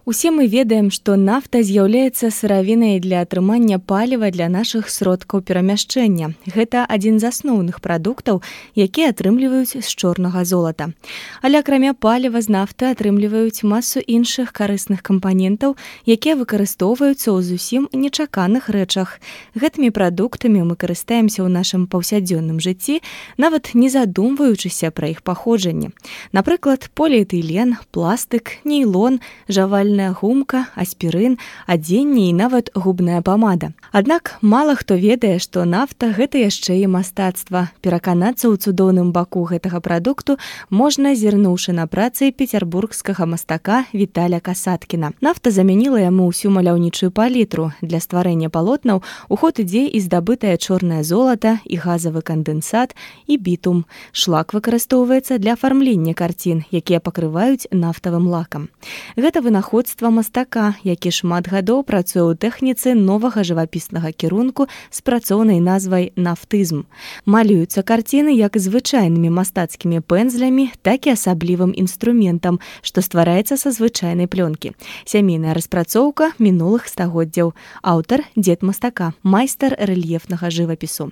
Усе мы ведаем, што нафта з'яўляецца сыравінай для атрымання паліва для нашых сродкаў перамяшчэння. Гэта адзін з асноўных прадуктаў, якія атрымліваюць з чорнага золата. Але акрамя паліва з нафты атрымліваюць масу іншых карысных кампанентаў, якія выкарыстоўваюцца ў зусім нечаканых рэчах. Гэтымі прадуктамі мы карыстаемся ў нашым паўсядзённым жыцці, нават не задумваючыся пра іх паходжанне. Напрыклад, поліэтылен, пластык, нейлон, жавальная гумка, аспірын, адзенне і нават губная памада. Аднак мала хто ведае, што нафта – гэта яшчэ і мастацтва. Пераканацца ў цудоўным баку гэтага прадукту можна, зірнуўшы на працы пецярбургскага мастака Віталя Касаткіна. Нафта замяніла яму ўсю маляўнічую палітру. Для стварэння палотнаў у ход ідзе і здабытае чорнае золата, і газавы кандэнсат, і бітум. Шлак выкарыстоўваецца для афармлення карцін, якія пакрываюць нафтавым лакам. Гэта вынаходства мастака, які шмат гадоў працуе ў тэхніцы новага жывапіснага кірунку з працоўнай назвай нафтызм. Малююцца карціны як звычайнымі мастацкімі пэнзлямі, так і асаблівым інструментам, што ствараецца са звычайнай плёнкі. Сямейная распрацоўка мінулых стагоддзяў. Аўтар – дзед мастака, майстар рэльефнага жывапісу.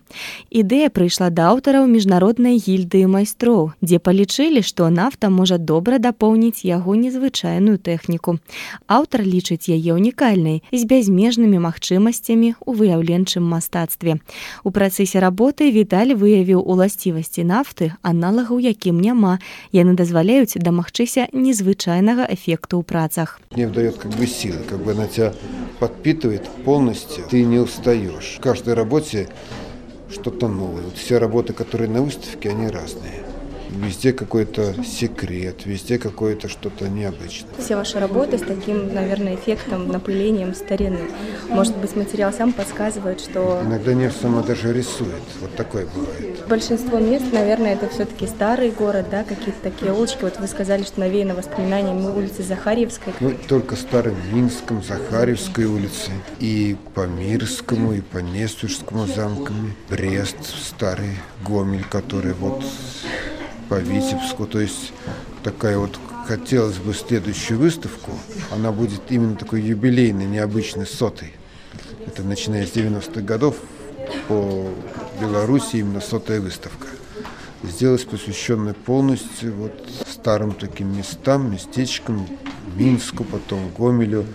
Ідэя прыйшла да аўтараў міжнароднай гільдыі майстроў, дзе палічылі, што нафта можа добра дапоўніць яго незвычайную тэхніку. Аўтар лічыць яе унікальнай, з бязмежнымі магчымасцямі ў выяўленчым мастацтве. У працэсе работы Віталь выявіў уласцівасці нафты, аналагаў якім няма. Яны дазваляюць дамагчыся незвычайнага эфекту ў працах. Не дает силы, она тебя подпитывает полностью, ты не устаешь. В каждой работе что-то новое. Все работы, которые на выставке, они разные. Везде какой-то секрет, везде какое-то что-то необычное. Все ваши работы с таким, наверное, эффектом, напылением старины. Может быть, материал сам подсказывает, что... Иногда нефть сама даже рисует. Вот такое бывает. Большинство мест, наверное, это все-таки старый город, да, какие-то такие улочки. Вот вы сказали, что навеяно воспоминаниями улицы Захарьевской. Только старым Минском, Захарьевской улице, и по Мирскому, и по Несвежскому замкам, Брест, старый Гомель, который по Витебску, то есть такая хотелось бы следующую выставку, она будет именно такой юбилейной, необычной, 100-й. Это начиная с 90-х годов по Беларуси именно 100-я выставка. Сделалась посвященная полностью старым таким местам, местечкам, Минску, потом Гомелю,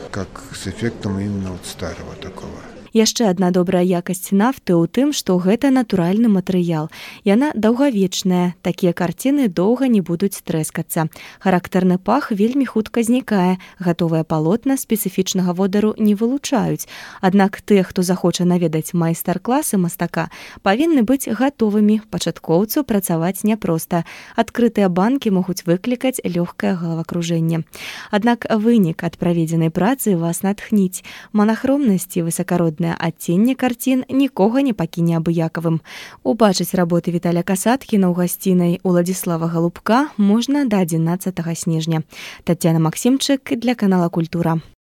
как с эффектом именно старого такого. Яшчэ адна добрая якасць нафты ў тым, што гэта натуральны матэрыял. Яна даўгавечная, такія карціны доўга не будуць трэскацца. Характэрны пах вельмі хутка знікае, гатовыя палотна спецыфічнага водару не вылучаюць. Аднак тыя, хто захоча наведаць майстар-класы мастака, павінны быць гатовымі. Пачаткоўцу працаваць няпроста. Адкрытыя банкі могуць выклікаць лёгкае галавакружэнне. Аднак вынік ад праведзенай працы вас натхніць. Манахромнасць і высакароднасць адценне карцін нікога не пакіне абыякавым. Убачыць работы Віталя Касаткіна ў гасцінай Уладзіслава Галубка можна да 11 снежня. Таццяна Максімчык для канала Культура.